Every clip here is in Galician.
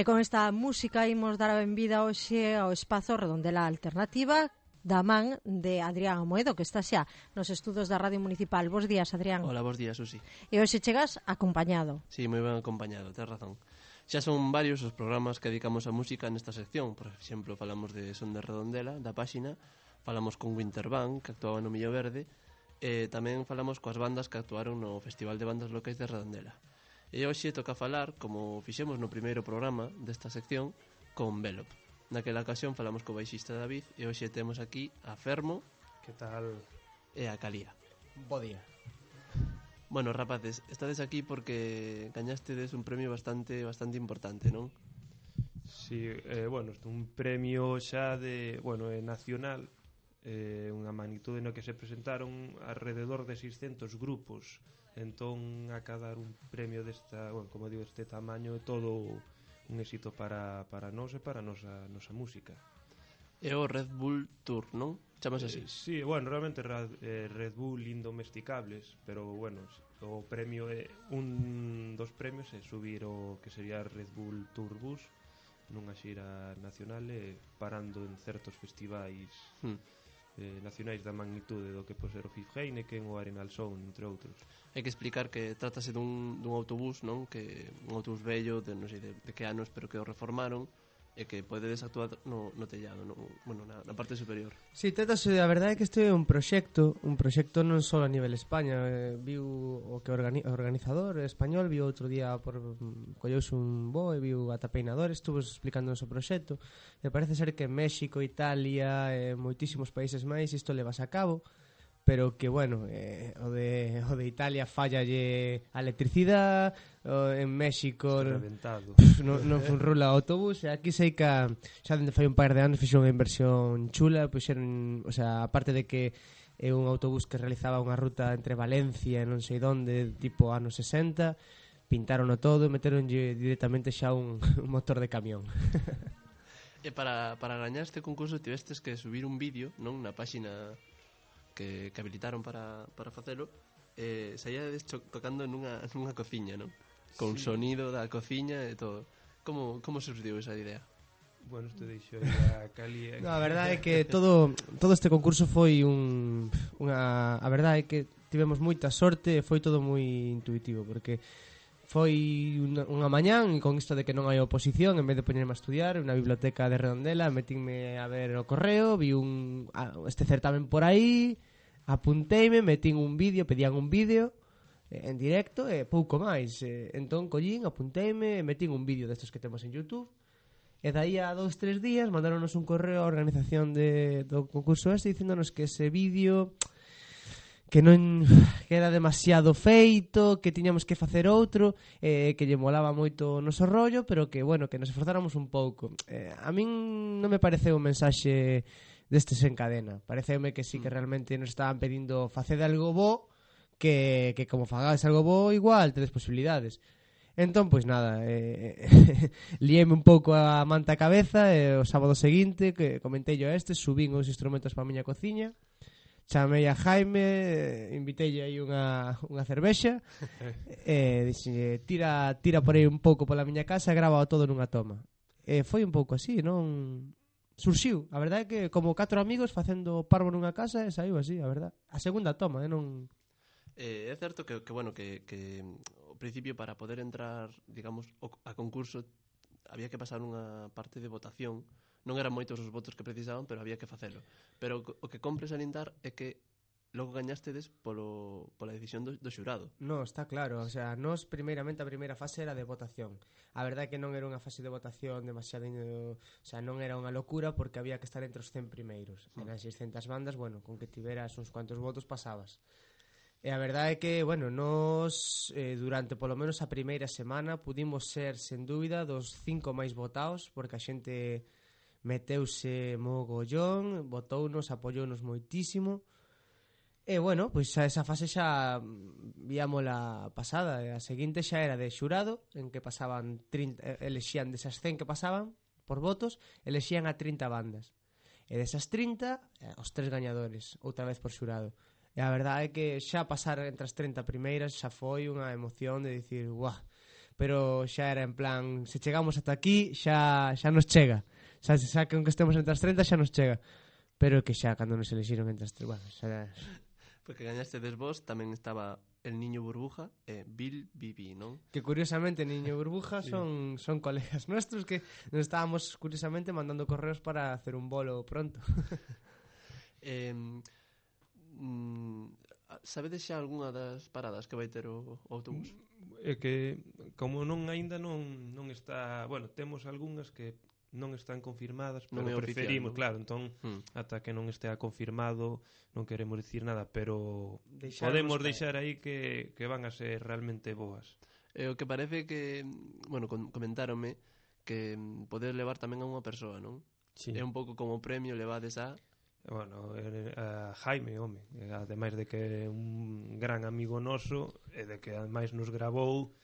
E con esta música imos dar a benvida hoxe ao espazo Redondela Alternativa da man de Adrián Amoedo, que está xa nos estudos da Radio Municipal. Bos días, Adrián. Hola, bos días, Susi. E hoxe chegas acompañado. Sí, moi ben acompañado, tens razón. Xa son varios os programas que dedicamos a música nesta sección. Por exemplo, falamos de Son de Redondela, da páxina, falamos con Winterband, que actuaba no Millo Verde, e tamén falamos coas bandas que actuaron no Festival de Bandas Locais de Redondela. E hoxe toca falar, como fixemos no primeiro programa desta sección, con Velop. Naquela ocasión falamos co baixista David e hoxe temos aquí a Fermo. Que tal? E a Calía. Bo día. Bueno, rapaces, estades aquí porque gañastedes un premio bastante importante, non? Sí, bueno, un premio xa de, bueno, nacional, unha magnitude no que se presentaron alrededor de 600 grupos. Entón, acabar un premio desta, bueno, como digo, este tamaño, todo un éxito para nós e para a nosa música. É o Red Bull Tour, non? Chamas así? Sí, bueno, realmente Red Bull Indomesticables, pero bueno, o premio é un dos premios é subir o que sería Red Bull Tour Bus nunha xira nacional e parando en certos festivais nacionais da magnitude do que pode ser o FIF Heineken ou Arenal Sound, entre outros. Hai que explicar que trátase dun autobús, non? Que un autobús vello, de non sei de que anos, pero que o reformaron e que podedes actuar no tellado, bueno, na parte superior. Si, trátase, a verdade é que este é un proxecto non só a nivel España, viu o que o organizador español, viu outro día colleuse un bo e viu a Tapeinador, estuvo explicando o seu proxecto, e parece ser que en México, Italia e moitísimos países máis isto levas a cabo, pero que, bueno, o de Italia fallalle a electricidade, en México non funrula o autobús, e aquí sei que xa dende fai un par de anos fixo unha inversión chula, puxeron, o sea, aparte de que é un autobús que realizaba unha ruta entre Valencia e non sei onde, tipo anos 60, pintarono todo e meteronlle directamente xa un motor de camión. E para gañar este concurso tivestes que subir un vídeo, non, na páxina que habilitaron para facelo, saíades tocando nunha cociña, non? Con sí, sonido da cociña e todo. Como surgiu esa idea? Bueno, isto deixo a Cali. No, a verdade é que todo este concurso foi a verdade é que tivemos moita sorte e foi todo moi intuitivo, porque foi unha mañán e con isto de que non hai oposición, en vez de poñerme a estudiar na biblioteca de Redondela, metínme a ver o correo, vi este certamen por aí, apunteime, metín un vídeo, pedían un vídeo en directo e pouco máis. Entón collín, apunteime, metín un vídeo destes que temos en YouTube. E dai a 2-3 días mandaronos un correo á organización do concurso este dicíndonos que ese vídeo que non que era demasiado feito, que tiñamos que facer outro, que lle molaba moito o noso rollo, pero que, bueno, que nos esforzáramos un pouco. A min non me pareceu un mensaxe destes en cadena. Pareceume que sí que realmente nos estaban pedindo facede algo bo, que como fagades algo bo, igual tedes posibilidades. Entón, pois nada, liéme un pouco a manta a cabeza e o sábado seguinte que comentei yo subín os instrumentos para a miña cociña, chamei a Jaime, inviteille aí unha cervexa e dixenlle tira por aí un pouco pola miña casa e grava todo nunha toma. E foi un pouco así, non? Surxiu, a verdade é que como 4 amigos facendo parvo nunha casa e saiu así, a verdade. A segunda toma, non... É certo que bueno, que ao principio para poder entrar, digamos, a concurso había que pasar unha parte de votación. Non eran moitos os votos que precisaban, pero había que facelo. Pero o que compre salientar é que logo gañastedes pola decisión do xurado. No, está claro, o sea, nos primeiramente a primeira fase era de votación. A verdade é que non era unha fase de votación demasiado, o sea, non era unha locura porque había que estar entre os 100 primeiros. Eran 600 bandas, bueno, con que tiveras uns cuantos votos pasabas. E a verdade é que, bueno, nos durante polo menos a primeira semana pudimos ser, sen dúbida, dos 5 máis votados, porque a xente meteuse mogollón, votounos, apoiounos moitísimo. E, bueno, pois esa fase xa víamola pasada. A seguinte xa era de xurado, en que pasaban 30, elexían desas 100 que pasaban por votos, elexían a 30 bandas. E desas 30, os 3 gañadores, outra vez por xurado. E a verdade é que xa pasar entre as 30 primeiras xa foi unha emoción de dicir, guau, pero xa era en plan, se chegamos ata aquí xa nos chega, xa que aunque estemos entre as 30 xa nos chega, pero que xa cando nos elixiron entre as 30, bueno, xa... Porque gañastedes vos, tamén estaba el Niño Burbuja e Bill Bibi, non? Que curiosamente Niño Burbuja son colegas nuestros que nos estábamos curiosamente mandando correos para hacer un bolo pronto. Sabedes xa algunha das paradas que vai ter o autobús? É que como aínda non está, bueno, temos algunhas que non están confirmadas, pero non é preferimos, oficial, non? claro, entón ata que non estea confirmado non queremos dicir nada, pero Deixarnos podemos deixar aí que van a ser realmente boas. O que parece que, bueno, comentáronme que poder levar tamén a unha persoa, non? Sí. É un pouco como premio levades a... Bueno, a Jaime, home, ademais de que é un gran amigo noso e de que ademais nos gravou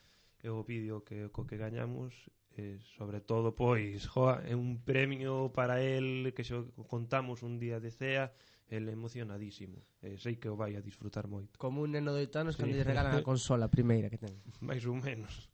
o vídeo co que gañamos, sobre todo, pois, é un premio para el que xo contamos un día de cea, el emocionadísimo. Sei que o vai a disfrutar moito. Como un neno de 8 anos cando lle regalan a consola primeira que ten. Mais ou menos.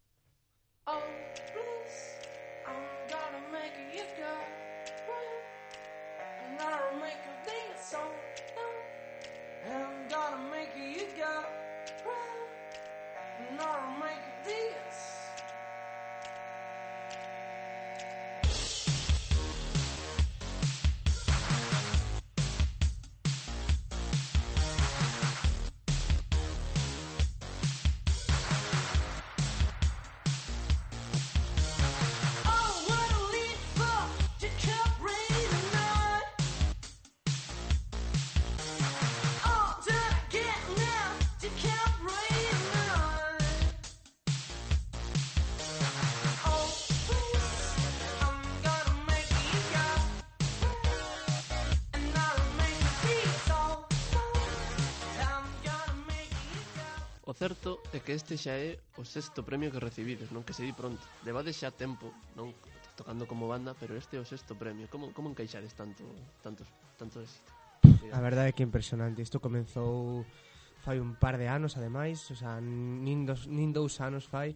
O certo é que este xa é o 6º premio que recibides, non? Que se di pronto. Levades xa tempo, non tocando como banda, pero este é o 6º premio. Como encaixades tanto éxito? A verdade é que é impresionante. Isto comenzou fai un par de anos, ademais, o sea, nin 2 anos fai,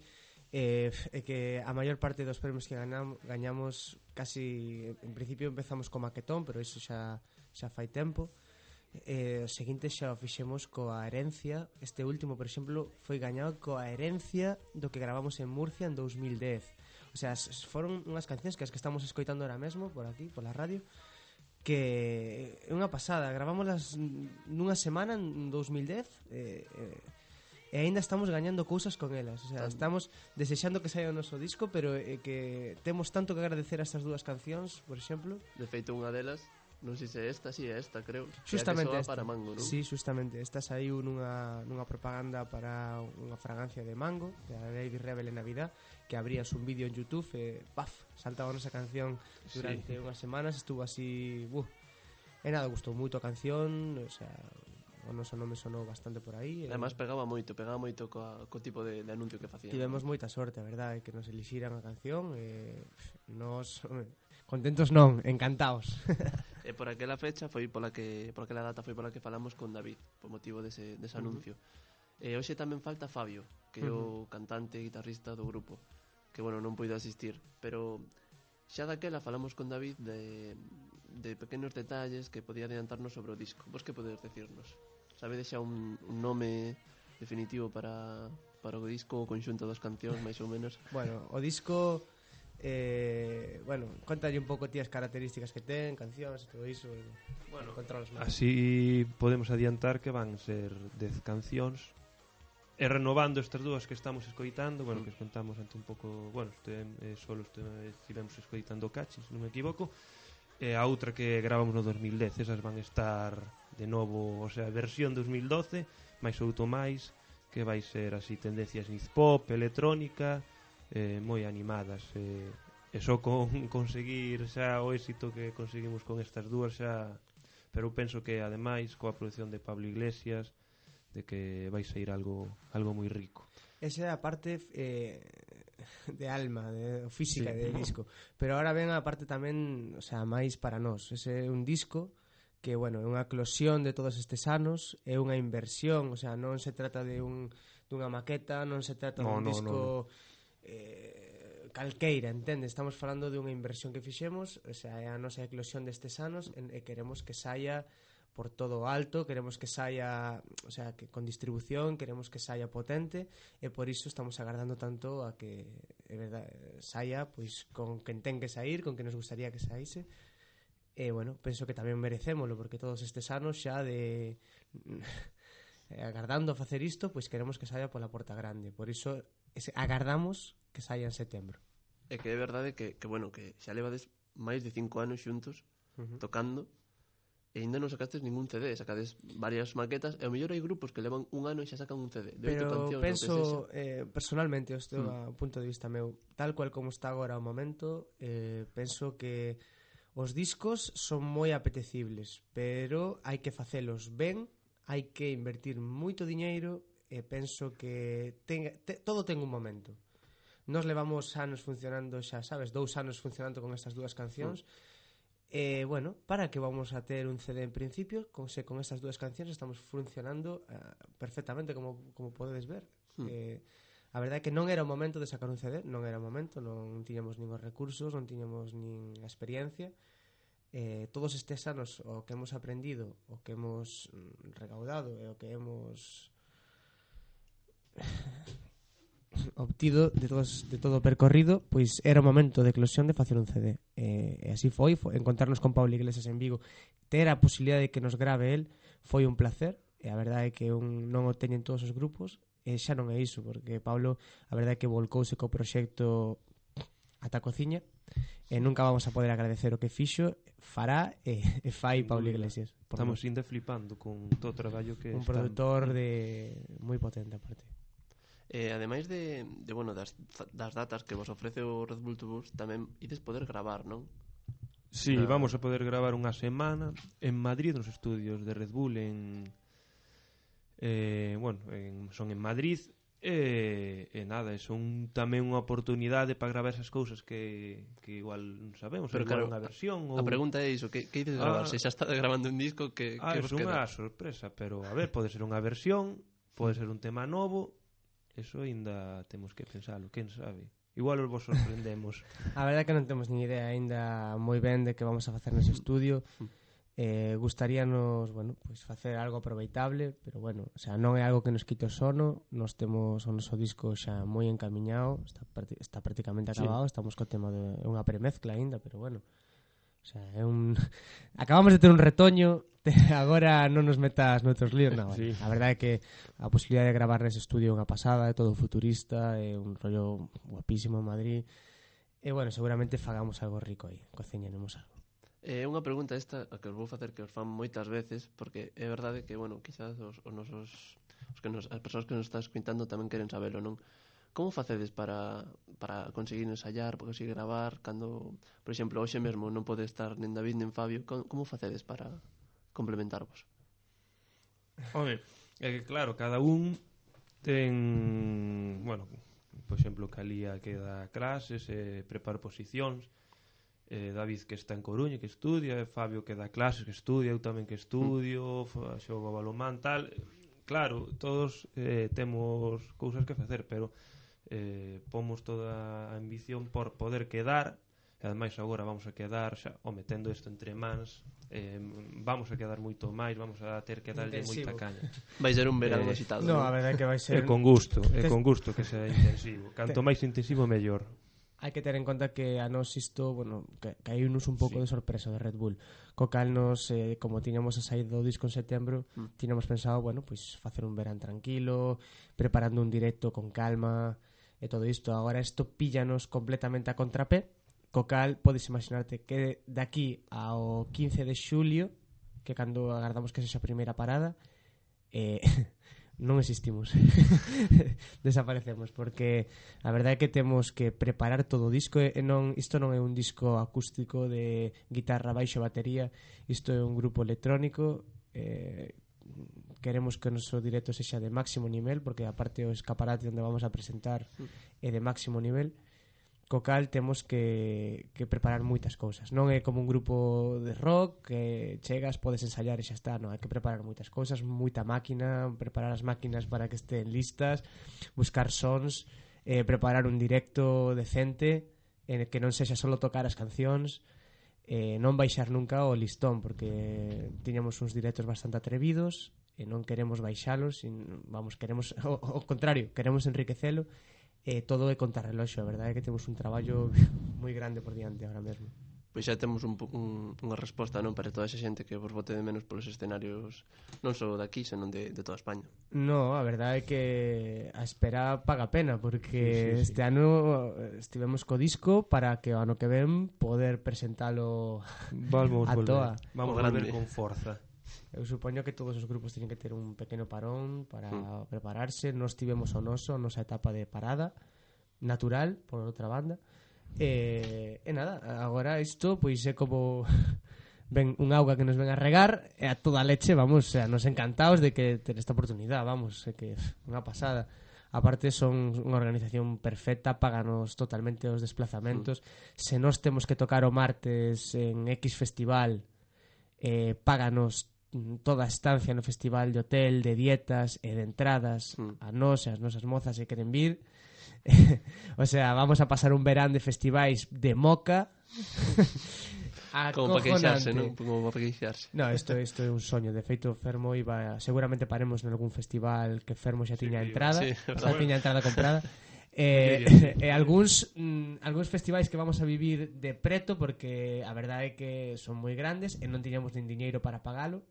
e que a maior parte dos premios que gañamos casi, en principio empezamos co maquetón, pero iso xa fai tempo. O seguinte xa o fixemos coa Herencia. Este último, por exemplo, foi gañado coa Herencia do que gravamos en Murcia en 2010. O sea, foron unhas cancións que as que estamos escoitando ahora mesmo por aquí, pola radio, que é unha pasada. Gravámoslas nunha semana en 2010 e aínda estamos gañando cousas con elas. O sea, estamos desexando que saia o noso disco, pero que temos tanto que agradecer a estas dúas cancións, por exemplo. De feito, unha delas, non sei se esta, creo. Justamente que esta. Para Mango, non? Sí, justamente. Esta saiu nunha propaganda para unha fragancia de Mango, de a Lady Rebel en Navidad, que abrías un vídeo en YouTube e paf, saltaba nosa canción durante unhas semanas, estuvo así, e nada, gustou moito a canción, o sea, o noso nome sonou bastante por aí. Además pegaba moito co tipo de anuncio que facían. Tivemos moita sorte, a verdade, que nos elixiran a canción e nos contentos non, encantados. E por aquela fecha foi por aquela data foi pola que falamos con David, por motivo dese anuncio. E hoxe tamén falta Fabio, que é o cantante e guitarrista do grupo, que bueno, non puido asistir, pero xa daquela falamos con David de pequenos detalles que podía adiantarnos sobre o disco. Vos que podedes decirnos? Sabedes xa un nome definitivo para o disco, o conxunto das cancións, máis ou menos? Bueno, o disco, contalle un pouco ti as características que ten, cancións e todo iso. Bueno, controlas máis. Así podemos adiantar que van ser 10 cancións, e renovando estas dúas que estamos escoitando, bueno, que escoitamos ante un pouco, bueno, solo estivemos escoitando Cachis, non me equivoco, e a outra que gravamos no 2010, esas van estar de novo, o sea, versión 2012, máis outro máis, que vai ser así tendencias synth pop, electrónica, moi animadas, e só con conseguir xa o éxito que conseguimos con estas dúas xa, pero penso que ademais coa produción de Pablo Iglesias, de que vai sair algo moi rico. Esa é a parte de alma, de física del disco. Pero ahora ven a parte tamén, o sea, máis para nós. Ese é un disco que, bueno, é unha eclosión de todos estes anos, é unha inversión, o sea, non se trata de dunha maqueta, non se trata dun disco calqueira, entende? Estamos falando de unha inversión que fixemos, o sea, é a nosa eclosión destes anos e queremos que saia por todo o alto, queremos que saia, o sea, que con distribución, queremos que saia potente e por iso estamos agardando tanto a que é verdade, saia pois con quen ten que sair, con que nos gustaría que saíse. E bueno, penso que tamén merecémolo porque todos estes anos xa de agardando a facer isto, pois queremos que saia pola porta grande. Por iso agardamos que saia en setembro. É que é verdade que bueno, que xa levades máis de 5 anos xuntos tocando e ainda non sacastes ningún CD, sacades varias maquetas e ao mellor hai grupos que levan un ano e xa sacan un CD de 8 cancións. Pero penso, personalmente, isto é un punto de vista meu, tal cual como está agora o momento, penso que os discos son moi apetecibles, pero hai que facelos ben, hai que invertir moito diñeiro e penso que todo ten un momento. Nos levamos anos funcionando xa, sabes, 2 anos funcionando con estas dúas cancións. Bueno, para que vamos a ter un CD en principio, con estas dúas cancións estamos funcionando perfectamente, como podedes ver. A verdade é que non era o momento de sacar un CD, non era o momento, non tiñamos nin os recursos, non tiñamos nin a experiencia. Todos estes anos o que hemos aprendido, o que hemos recaudado e o que hemos obtido de todo o percorrido, pois era o momento de eclosión de facer un CD. E así foi encontrarnos con Pablo Iglesias en Vigo, ter a posibilidade de que nos grave el, foi un placer, e a verdade é que non o teñen todos os grupos, e xa non é iso, porque Pablo, a verdade é que volcouse co proxecto ata a cociña, e nunca vamos a poder agradecer o que fixo, fará e fai Pablo Iglesias. Estamos ainda flipando con todo o traballo que un produtor de moi potente aparte. Ademais bueno, das datas que vos ofrece o Red Bull Tourbus, tamén ides poder gravar, non? Sí, vamos a poder gravar unha semana en Madrid, nos estudios de Red Bull son en Madrid e nada, son tamén unha oportunidade para gravar esas cousas que igual non sabemos, pero igual claro, unha versión a pregunta é iso, que ides gravar? Se xa está grabando un disco, que vos queda? É unha sorpresa, pero a ver, pode ser unha versión, pode ser un tema novo. Eso ainda temos que pensalo, quen sabe. Igual vos sorprendemos. A verdade é que non temos ni idea ainda moi ben de que vamos a facer nese estudio. Gustaríanos, bueno, pues facer algo aproveitable, pero bueno, o sea, non é algo que nos quite o sono. Nos temos o noso disco xa moi encamiñado, está prácticamente acabado, sí. Estamos co tema de unha premezcla ainda, pero bueno, o sea, acabamos de ter un retoño. Agora non nos metas noutros líos, non. Sí. A verdade é que a posibilidade de gravar nese estudio é unha pasada, é todo futurista, é un rollo guapísimo en Madrid. E bueno, seguramente fagamos algo rico aí, cociñaremos algo. Unha pregunta esta a que os vou facer que os fan moitas veces, porque é verdade que, bueno, quizás as persoas que nos están escuitando tamén queren sabelo, non? Como facedes para conseguir ensayar, para conseguir gravar, cando, por exemplo, hoxe mesmo non pode estar nen David nen Fabio, como facedes para complementarvos? Home, é que claro, cada un ten, bueno, por exemplo, Calía que dá clases, prepara posicións, David que está en Coruña que estudia, Fabio que dá clases que estudia, eu tamén que estudio, xogo balonmán, tal. Claro, todos temos cousas que facer, pero pomos toda a ambición por poder quedar. E ademais agora vamos a quedar xa, metendo isto entre mans, vamos a quedar moito máis, vamos a ter que darlle moita caña. Vai ser un verano excitado. No, a verdade é que vai ser con gusto que sea intensivo. Canto máis intensivo mellor. Hai que ter en conta que a nos isto, bueno, caíunos un pouco de sorpresa de Red Bull. Co cal nos, como tiñamos a saída do disco en setembro, tiñamos pensado, bueno, pois facer un verán tranquilo, preparando un directo con calma e todo isto. Agora isto píllanos completamente a contrapé. Co cal, podes imaginarte que de aquí ao 15 de xulio, que cando agardamos que sexa a primeira parada, non existimos. Desaparecemos, porque a verdade é que temos que preparar todo o disco. Isto non é un disco acústico de guitarra, baixo, batería. Isto é un grupo electrónico. Queremos que o noso directo sexa de máximo nivel, porque aparte o escaparate onde vamos a presentar é de máximo nivel. Co cal temos que preparar moitas cousas. Non é como un grupo de rock que chegas, podes ensayar e xa está. Non, hai que preparar moitas cousas, moita máquina, preparar as máquinas para que estén listas, buscar sons, preparar un directo decente en el que non sexa solo tocar as cancións, non baixar nunca o listón, porque tiñamos uns directos bastante atrevidos e non queremos baixalos, queremos ao contrario, queremos enriquecelo, todo é contrarreloxo. A verdade é que temos un traballo moi grande por diante ahora mesmo. Pois xa temos unha resposta, non, para toda esa xente que vos bote de menos polos escenarios non só daqui, senón de toda España. No, a verdade é que a espera paga pena, porque este ano estivemos co disco para que o ano que ven poder presentalo a toa. Vamos volver con forza. Eu supoño que todos os grupos teñen que ter un pequeno parón para prepararse. Nos tivemos o nosa etapa de parada natural, por outra banda. E nada, agora isto pois é como ven un auga que nos ven a regar e a toda leche, vamos, nos encantados de que ter esta oportunidade, vamos, é que unha pasada. Aparte son unha organización perfecta, páganos totalmente os desplazamentos. Se nós temos que tocar o martes en X festival, páganos toda a estancia no festival, de hotel, de dietas e de entradas a nós e as nosas mozas se queren vir. O sea, vamos a pasar un verán de festivais de moca. Como para queixarse, non? Como para queixarse. No, isto é un soño. De feito, Fermo iba... Seguramente paremos en algún festival que Fermo xa tiña entrada. Xa tiña entrada comprada. E algúns festivais que vamos a vivir de preto, porque a verdade é que son moi grandes e non tiñamos nin diñeiro para pagalo.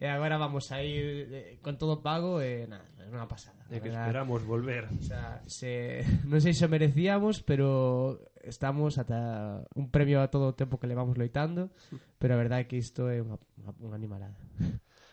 E agora vamos a ir con todo pago e nada, é unha pasada. É que esperamos volver. O sea, non sei se merecíamos, pero estamos ata un premio a todo o tempo que levamos loitando, pero a verdade é que isto é unha animalada.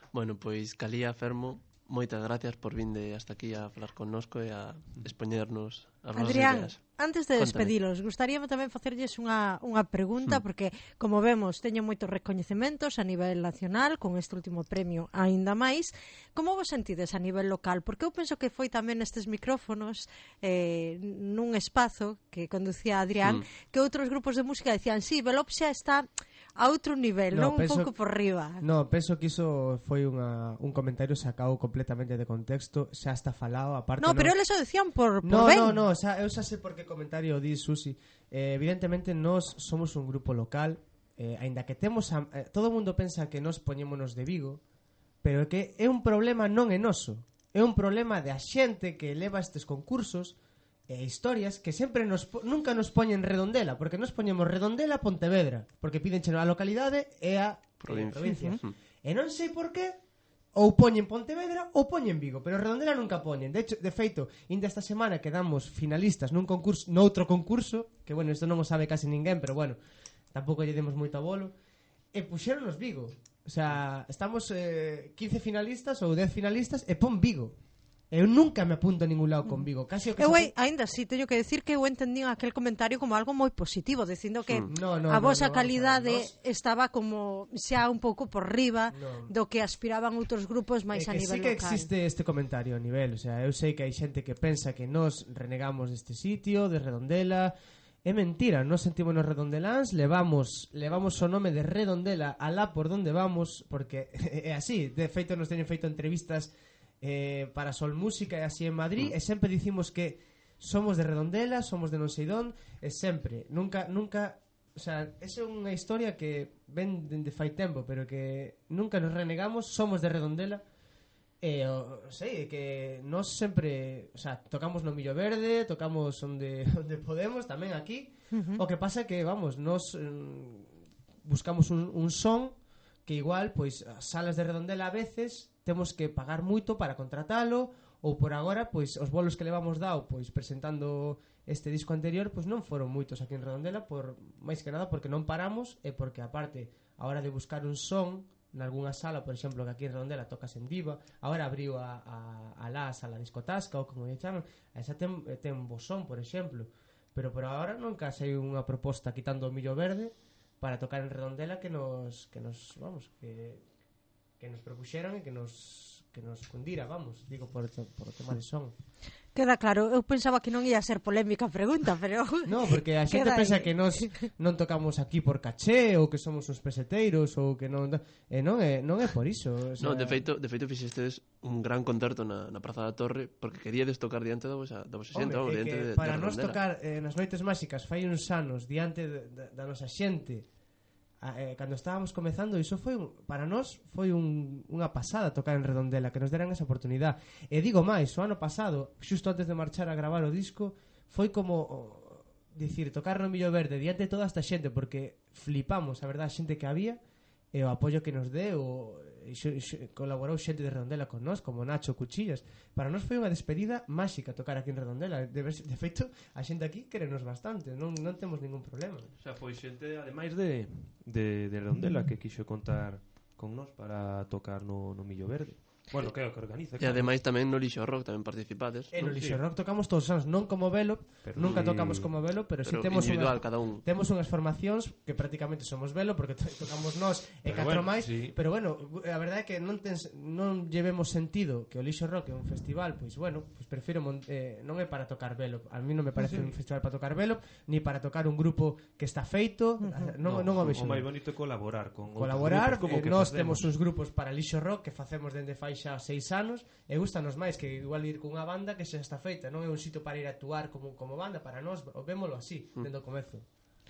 Bueno, pois Calía, Fermo, moitas gracias por vinde hasta aquí a falar connosco e a expoñernos as nosas Adrián, ideas. antes de despedilos, gustaríame tamén facerlles unha pregunta, porque, como vemos, teño moitos recoñecementos a nivel nacional, con este último premio aínda máis. Como vos sentides a nivel local? Porque eu penso que foi tamén nestes micrófonos, nun espazo que conducía Adrián, que outros grupos de música decían, sí, Velop xa está a outro nivel, non un pouco por riba. No, penso que iso foi un comentario sacado completamente de contexto, xa está falado, aparte. No, pero eles o decían por ben. No, eu xa sei por que comentario di Susi. Evidentemente nós somos un grupo local, aínda que temos todo o mundo pensa que nós poñémonos de Vigo, pero é que é un problema non é noso, é un problema de a xente que leva estes concursos e historias que sempre nunca nos poñen Redondela, porque nos poñemos Redondela Pontevedra, porque pídencheno a localidade e a provincia. E non sei por qué ou poñen Pontevedra ou poñen Vigo, pero Redondela nunca poñen. De feito, inda esta semana quedamos finalistas noutro concurso, que bueno, isto non o sabe casi ninguén, pero bueno, tampouco lle demos moito abolo, e puxéronos Vigo. O sea, estamos 15 finalistas ou 10 finalistas e pon Vigo. Eu nunca me apunto a ningún lado con Vigo. Casi eu ainda así teño que decir que eu entendí aquel comentario como algo moi positivo, dicindo que a vosa calidade estaba como xa un pouco por riba do que aspiraban outros grupos máis a nivel local. Sí que existe este comentario a nivel, o sea, eu sei que hai xente que pensa que nós renegamos deste sitio, de Redondela. É mentira, nós sentímonos redondeláns, levamos o nome de Redondela alá por donde vamos, porque é así. De feito, nos teñen feito entrevistas para Sol Música e así en Madrid, e sempre dicimos que somos de Redondela, somos de non sei dón, e sempre, nunca, o sea, esa é unha historia que ven de fai tempo, pero que nunca nos renegamos, somos de Redondela. Sei, que nós sempre, o sea, tocamos no Millo Verde, tocamos onde podemos, tamén aquí. O que pasa é que, vamos, nós buscamos un son que igual, pois, as salas de Redondela a veces temos que pagar moito para contratalo, ou por agora, pois, os bolos que levamos dado, pois, presentando este disco anterior, pois non foron moitos aquí en Redondela, máis que nada porque non paramos, e porque, aparte, a hora de buscar un son nalgúna sala, por exemplo, que aquí en Redondela tocas en Diva, agora abriu a sala discotasca, ou como lle chaman, esa ten bosón, por exemplo, pero por agora nunca sei unha proposta quitando o Millo Verde para tocar en Redondela que nos propuxeran e que nos cundira, vamos, digo, por o tema de son. Queda claro, eu pensaba que non ia ser polémica a pregunta, pero... No, porque a xente Queda pensa aí. que nós non tocamos aquí por caché ou que somos uns peseteiros ou que non non é por iso, o sea... No, de feito fixestes un gran concerto na Praza da Torre porque queríades tocar diante da vosa xente, Hombre, diante de para nós Redondela. tocar nas Noites Máxicas fai uns anos diante da nosa xente, cando estábamos comezando, iso foi para nós foi unha pasada tocar en Redondela, que nos deran esa oportunidade. E digo máis, o ano pasado, xusto antes de marchar a gravar o disco, foi como dicir, tocar no Millo Verde diante de toda esta xente, porque flipamos, a verdade, a xente que había e o apoio que nos deu, colaborou xente de Redondela con nós, como Nacho Cuchillas. Para nós foi unha despedida máxica tocar aquí en Redondela. De feito, a xente aquí querenos bastante, non temos ningún problema. O sea, foi xente, ademais de Redondela, que quixo contar con nós para tocar no Millo Verde. Bueno, que organiza. E ademais tamén no Lixo Rock tamén participades. E no non? Lixo Rock tocamos todos os anos, non como Velo, Pero nunca sí, tocamos como Velo, pero si Pero temos individual, cada un. Temos unhas formacións que prácticamente somos Velo porque tocamos nós e Pero catro bueno, máis, sí. pero bueno, a verdade é que non llevemos sentido que o Lixo Rock é un festival, pois bueno, pois prefiro non é para tocar Velo. A mí non me parece un festival para tocar Velo, ni para tocar un grupo que está feito, non o vexo. O máis bonito é colaborar con outros Colaborar, grupos, como que nós facemos. temos uns grupos para Lixo Rock que facemos dende fai xa 6 anos e gustanos máis que igual ir cunha banda que xa está feita, non é un sitio para ir a actuar como banda, para nós, vémolo así, dende o comezo.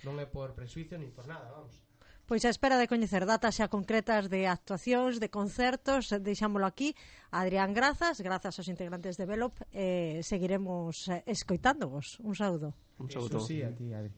Non é por presuicio ni por nada, vamos. Pois a espera de coñecer datas xa concretas de actuacións, de concertos, deixámolo aquí. Adrián, grazas aos integrantes de Velop, seguiremos escoitándovos. Un saúdo. Un saúdo. Eso sí, a ti, Adri.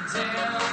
Down